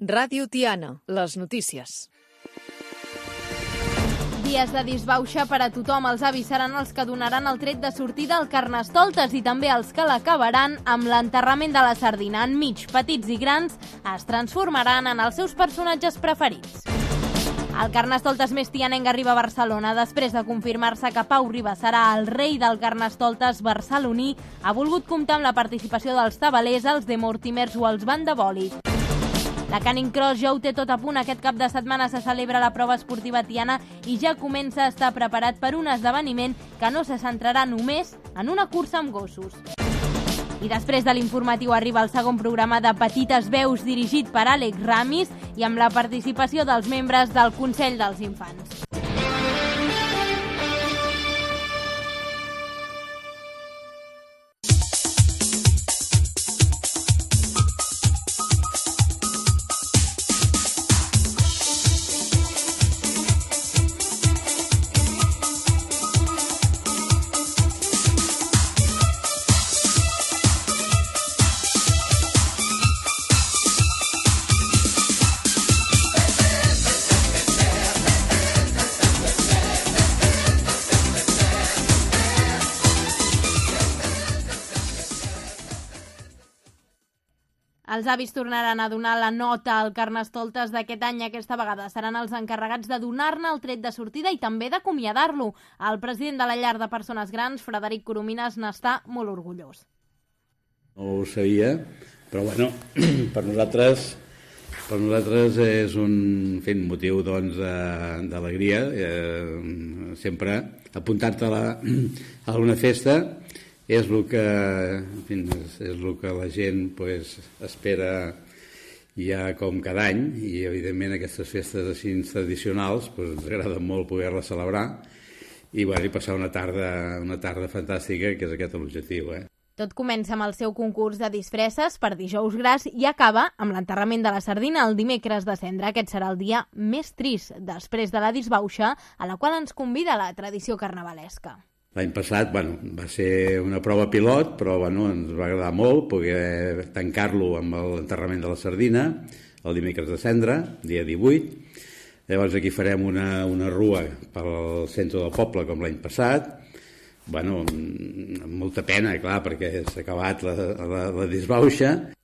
Ràdio Tiana, les notícies. Dies de disbauxa per a tothom. Els avis seran els que donaran el tret de sortida al Carnestoltes i també els que l'acabaran amb l'enterrament de la sardina. Enmig, petits i grans es transformaran en els seus personatges preferits. El Carnestoltes més tianenc arriba a Barcelona. Després de confirmar-se que Pau Riba serà el rei del Carnestoltes barceloní, ha volgut comptar amb la participació dels tabalers, els de Mortimers o els Bandabòlic. La Canning Cross ja ho té tot a punt. Aquest cap de setmana se celebra la prova esportiva tiana i ja comença a estar preparat per un esdeveniment que no se centrarà només en una cursa amb gossos. I després de l'informatiu arriba el segon programa de Petites Veus dirigit per Àlex Ramis i amb la participació dels membres del Consell dels Infants. Els avis tornaran a donar la nota al Carnestoltes d'aquest any. Aquesta vegada seran els encarregats de donar-ne el tret de sortida i també d'acomiadar-lo. El president de la llar de persones grans, Frederic Coromines, n'està molt orgullós. No ho sabia, però bueno, per nosaltres és un motiu d'alegria. Sempre apuntar-te a una festa és el que la gent espera ja com cada any, i evidentment aquestes festes així tradicionals ens agrada molt poder-les celebrar i passar una tarda fantàstica, que és aquest l'objectiu. Tot comença amb el seu concurs de disfresses per dijous gras i acaba amb l'enterrament de la sardina el dimecres de Cendra. Aquest serà el dia més trist després de la disbauxa, a la qual ens convida la tradició carnavalesca. L'any passat va ser una prova pilot, però ens va agradar molt poder tancar-lo amb l'enterrament de la sardina el dimecres de Cendra, dia 18. Llavors aquí farem una rua pel centre del poble com l'any passat. Amb molta pena, clar, perquè s'ha acabat la disbauxa.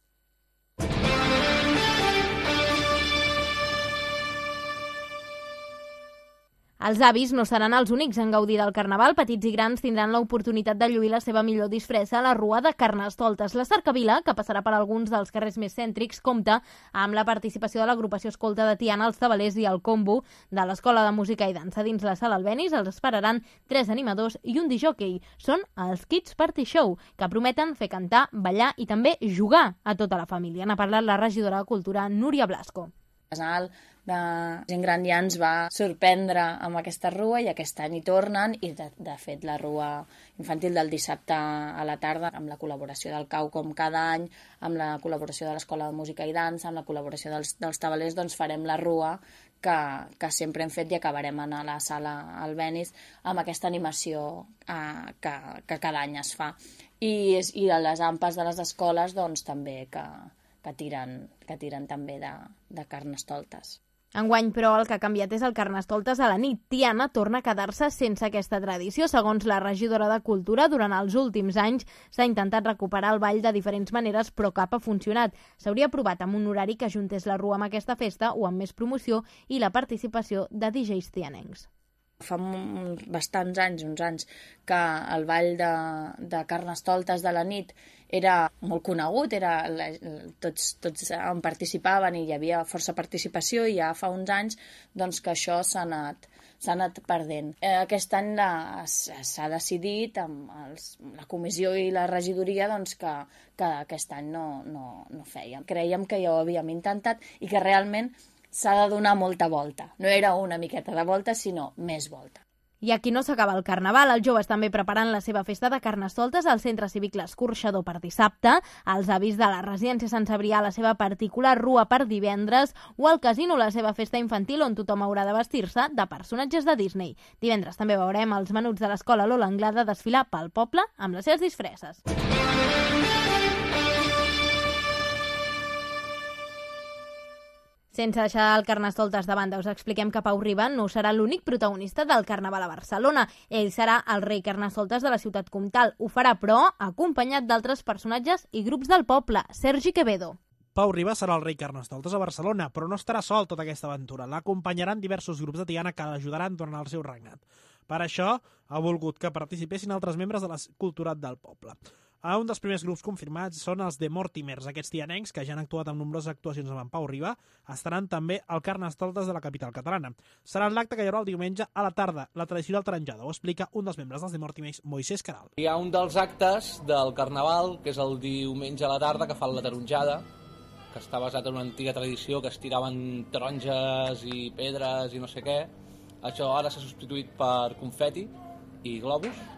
Els avis no seran els únics en gaudir del Carnaval. Petits i grans tindran l'oportunitat de lluir la seva millor disfressa a la Rua de Carnestoltes. La cercavila, que passarà per alguns dels carrers més cèntrics, compta amb la participació de l'agrupació escolta de Tiana, els tabalers i el combo de l'Escola de Música i Dansa. Dins la sala Albéniz els esperaran 3 animadors i un disjòquei. Són els Kids Party Show, que prometen fer cantar, ballar i també jugar a tota la família. N'ha parlat la regidora de Cultura, Núria Blasco. Casal de gent gran ja ens va sorprendre amb aquesta rua i aquest any hi tornen i de fet la rua infantil del dissabte a la tarda amb la col·laboració del CAU com cada any, amb la col·laboració de l'Escola de Música i Dansa, amb la col·laboració dels tabalers, farem la rua que sempre hem fet i acabarem a la sala Albéniz amb aquesta animació que cada any es fa. I a les ampes de les escoles també que tiren també de Carnestoltes. Enguany, però, el que ha canviat és el Carnestoltes a la nit. Tiana torna a quedar-se sense aquesta tradició. Segons la regidora de Cultura, durant els últims anys s'ha intentat recuperar el ball de diferents maneres, però cap ha funcionat. S'hauria provat amb un horari que ajuntés la rua amb aquesta festa o amb més promoció i la participació de DJs tianencs. Fa bastants anys, uns anys, que el ball de Carnestoltes de la nit era molt conegut, tots en participaven i hi havia força participació, i ja fa uns anys que això s'ha anat perdent. Aquest any s'ha decidit amb la comissió i la regidoria que aquest any no fèiem. Crèiem que ja ho havíem intentat i que realment s'ha de donar molta volta. No era una miqueta de volta, sinó més volta. I aquí no s'acaba el Carnaval. Els joves també preparant la seva festa de Carnestoltes al Centre Cívic l'Escorxador per dissabte, els avis de la Residència Sant Cebrià la seva particular rua per divendres o al Casino la seva festa infantil on tothom haurà de vestir-se de personatges de Disney. Divendres també veurem els menuts de l'Escola Lola Anglada desfilar pel poble amb les seves disfresses. Sense deixar el Carnestoltes de banda, us expliquem que Pau Riba no serà l'únic protagonista del Carnaval a Barcelona. Ell serà el rei Carnestoltes de la ciutat comtal. Ho farà, però, acompanyat d'altres personatges i grups del poble. Sergi Quevedo. Pau Riba serà el rei Carnestoltes a Barcelona, però no estarà sol tota aquesta aventura. L'acompanyaran diversos grups de Tiana que l'ajudaran durant el seu regnat. Per això, ha volgut que participessin altres membres de la culturat del poble. Un dels primers grups confirmats són els de Mortimers. Aquests tianencs, que ja han actuat en nombroses actuacions amb en Pau Riba, estaran també al Carnestoltes de la capital catalana. Serà l'acte que hi haurà el diumenge a la tarda, la tradicional taronjada. Ho explica un dels membres dels de Mortimers, Moisés Caral. Hi ha un dels actes del Carnaval, que és el diumenge a la tarda, que fan la taronjada, que està basat en una antiga tradició que es tiraven taronges i pedres i no sé què. Això ara s'ha substituït per confeti i globus.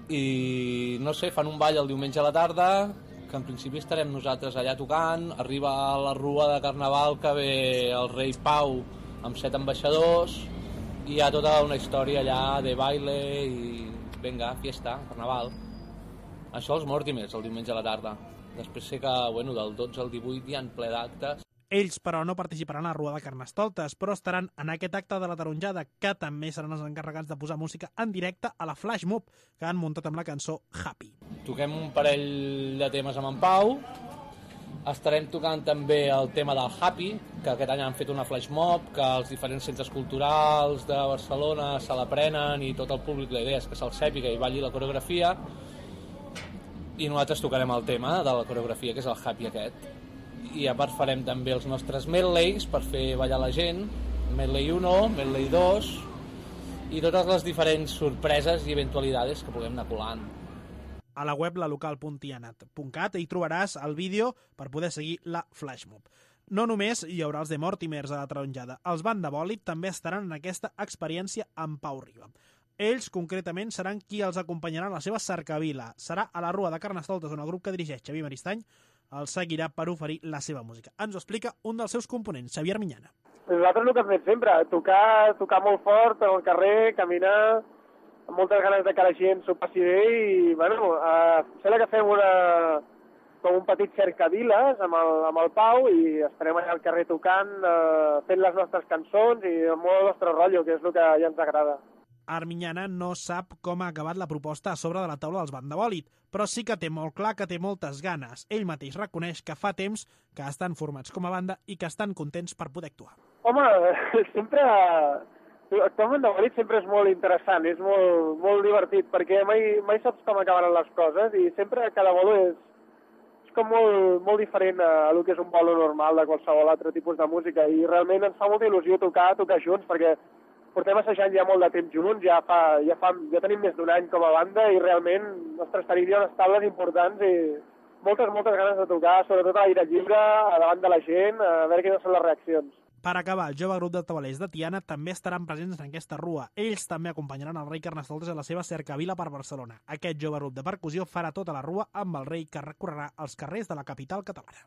I no sé, fan un ball el diumenge a la tarda, que en principi estarem nosaltres allà tocant. Arriba la rua de Carnaval que ve el rei Pau amb 7 ambaixadors i hi ha tota una història allà de baile i venga, fiesta, Carnaval. Això els Mortimers el diumenge a la tarda. Després sé que del 12 al 18 hi ha ple d'actes. Ells, però, no participaran a la Rua de Carnestoltes, però estaran en aquest acte de la taronjada, que també seran els encarregats de posar música en directe a la Flash Mob, que han muntat amb la cançó Happy. Toquem un parell de temes amb en Pau. Estarem tocant també el tema del Happy, que aquest any han fet una Flash Mob, que els diferents centres culturals de Barcelona se l'aprenen i tot el públic, la idea és que se'l sàpiga i balli la coreografia. I nosaltres tocarem el tema de la coreografia, que és el Happy aquest. I a part farem també els nostres medleys per fer ballar la gent, medley 1, medley 2 i totes les diferents sorpreses i eventualitats que puguem anar colant. A la web lalocal.tiana.cat hi trobaràs el vídeo per poder seguir la flashmob. No només hi haurà els de Mortimers a la taronjada, els Banda Bòlit també estaran en aquesta experiència amb Pau Riba. Ells, concretament, seran qui els acompanyarà en la seva cercavila. Serà a la Rua de Carnestoltes, on el grup que dirigeix Xavier Maristany el seguirà per oferir la seva música. Ens ho explica un dels seus components, Xavier Miñana. Nosaltres el que hem fet sempre, tocar molt fort al carrer, caminar, amb moltes ganes de que la gent s'ho passi bé i, sembla que fem com un petit cercaviles amb el Pau i estarem allà al carrer tocant, fent les nostres cançons i amb molt el nostre rotllo, que és el que ja ens agrada. Armiñana no sap com ha acabat la proposta a sobre de la taula dels Banda Bòlit, però sí que té molt clar que té moltes ganes. Ell mateix reconeix que fa temps que estan formats com a banda i que estan contents per poder actuar. Home, sempre... Actuar amb Banda Bòlit sempre és molt interessant, és molt divertit, perquè mai saps com acabaran les coses i sempre cada bolo és com molt diferent a el que és un bolo normal de qualsevol altre tipus de música i realment ens fa molta il·lusió tocar junts, perquè portem assajant ja molt de temps junts, ja tenim més d'un any com a banda i realment, ostres, tenim ja unes taules importants i moltes ganes de tocar, sobretot a l'aire lliure, davant de la gent, a veure quines són les reaccions. Per acabar, el jove grup de tabalers de Tiana també estaran presents en aquesta rua. Ells també acompanyaran el rei Carnestoltes a la seva cercavila per Barcelona. Aquest jove grup de percussió farà tota la rua amb el rei que recorrerà els carrers de la capital catalana.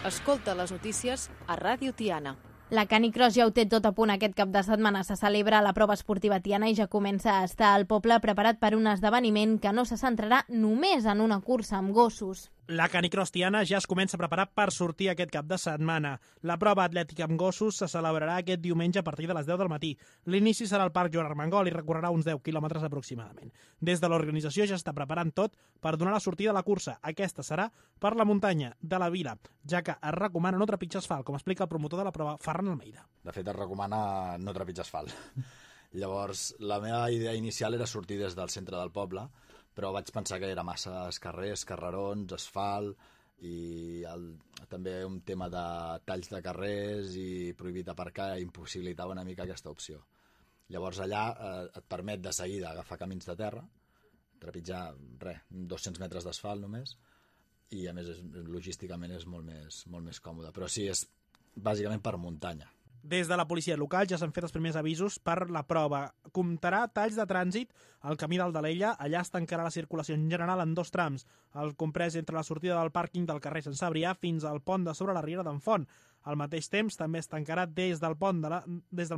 Escolta les notícies a Ràdio Tiana. La Canicross ja ho té tot a punt aquest cap de setmana. Se celebra la prova esportiva tiana i ja comença a estar al poble preparat per un esdeveniment que no se centrarà només en una cursa amb gossos. La Canicross Tiana ja es comença a preparar per sortir aquest cap de setmana. La prova atlètica amb gossos se celebrarà aquest diumenge a partir de les 10 del matí. L'inici serà al Parc Joan Armengol i recorrerà uns 10 quilòmetres aproximadament. Des de l'organització ja està preparant tot per donar la sortida a la cursa. Aquesta serà per la muntanya de la vila, ja que es recomana no trepitjar asfalt, com explica el promotor de la prova, Ferran Almeida. De fet, es recomana no trepitjar asfalt. Llavors, la meva idea inicial era sortir des del centre del poble, però vaig pensar que era massa carrers, carrerons, asfalt i també un tema de talls de carrers i prohibit aparcar impossibilitava una mica aquesta opció. Llavors allà et permet de seguida agafar camins de terra, trepitjar 200 metres d'asfalt només i a més logísticament és molt més còmode, però sí, és bàsicament per muntanya. Des de la policia local ja s'han fet els primers avisos per la prova. Comptarà talls de trànsit al camí d'Aldalella, allà es tancarà la circulació en general en 2 trams, el comprès entre la sortida del pàrquing del carrer Sant Cebrià fins al pont de sobre la Riera d'en Font. Al mateix temps, també es tancarà des del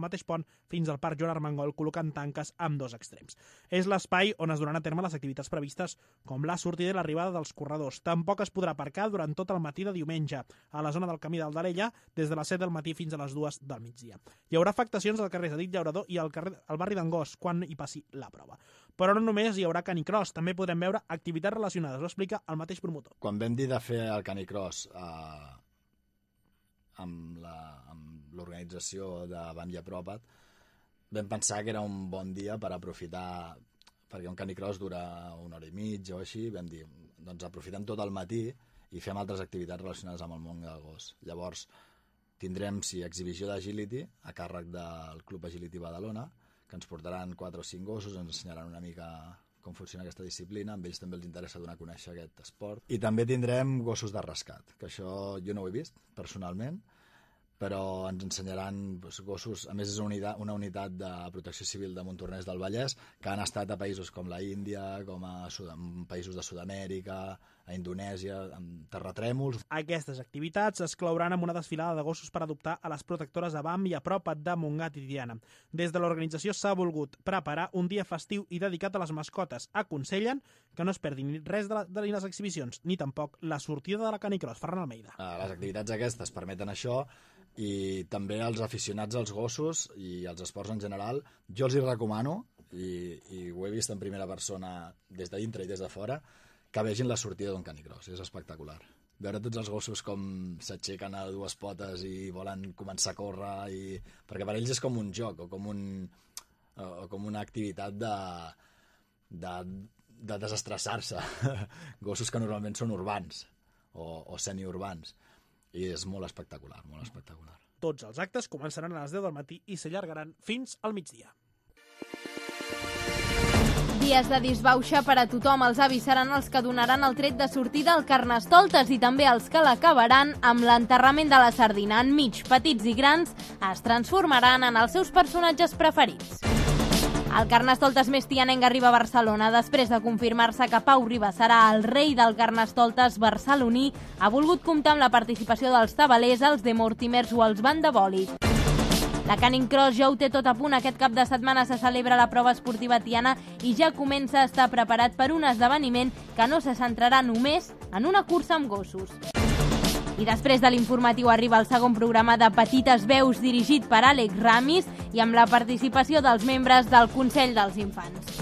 mateix pont fins al Parc Joan Armengol, col·locant tanques amb 2 extrems. És l'espai on es duran a terme les activitats previstes, com la sortida i l'arribada dels corredors. Tampoc es podrà aparcar durant tot el matí de diumenge a la zona del Camí d'Aldarella, des de les 7 del matí fins a les 2 del migdia. Hi haurà afectacions al carrer Edith Llaurador i al barri d'Angós, quan hi passi la prova. Però no només hi haurà canicross, també podrem veure activitats relacionades, ho explica el mateix promotor. Quan vam dir de fer el canicross amb l'organització de BAM i Apropa't, vam pensar que era un bon dia per aprofitar, perquè un canicross dura 1 hora i mitja o així, vam dir, doncs aprofitem tot el matí i fem altres activitats relacionades amb el món del gos. Llavors, tindrem, exhibició d'agility a càrrec del Club Agility Badalona, que ens portaran 4 o 5 gossos, ens ensenyaran una mica com funciona aquesta disciplina, a ells també els interessa donar a conèixer aquest esport. I també tindrem gossos de rescat, que això jo no ho he vist personalment, però ens ensenyaran gossos, a més és una unitat de protecció civil de Montornès del Vallès, que han estat a països com la Índia, com a països de Sud-amèrica, a Indonèsia, amb terratrèmols. Aquestes activitats es clouran amb una desfilada de gossos per adoptar a les protectores de BAM i Apropa't de Montgat i Tiana. Des de l'organització s'ha volgut preparar un dia festiu i dedicat a les mascotes. Aconsellen que no es perdin res de les exhibicions, ni tampoc la sortida de la canicross. Ferran Almeida. Les activitats aquestes permeten això, i també els aficionats als gossos i als esports en general, jo els hi recomano, i ho he vist en primera persona des de dintre i des de fora, que vegin la sortida d'un canicross. És espectacular. Veure tots els gossos com s'aixequen a 2 potes i volen començar a córrer, perquè per ells és com un joc o com una activitat de desestressar-se. Gossos que normalment són urbans o semiurbans. I és molt espectacular, molt espectacular. Tots els actes començaran a les 10 del matí i s'allargaran fins al migdia. Dies de disbauxa per a tothom. Els avis seran els que donaran el tret de sortida al Carnestoltes i també els que l'acabaran amb l'enterrament de la sardina. Enmig, petits i grans es transformaran en els seus personatges preferits. El Carnestoltes més tianenc arriba a Barcelona. Després de confirmar-se que Pau Riba serà el rei del Carnestoltes barceloní, ha volgut comptar amb la participació dels tabalers, els de Mortimers o els Bandaboli. La Canning Cross ja ho té tot a punt. Aquest cap de setmana se celebra la prova esportiva tiana i ja comença a estar preparat per un esdeveniment que no se centrarà només en una cursa amb gossos. I després de l'informatiu arriba el segon programa de Petites Veus, dirigit per Àlex Ramis i amb la participació dels membres del Consell dels Infants.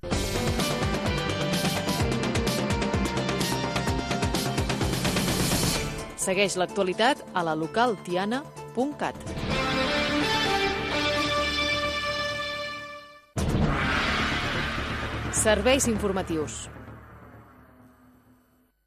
Segueix l'actualitat a la localtiana.cat. Serveis informatius.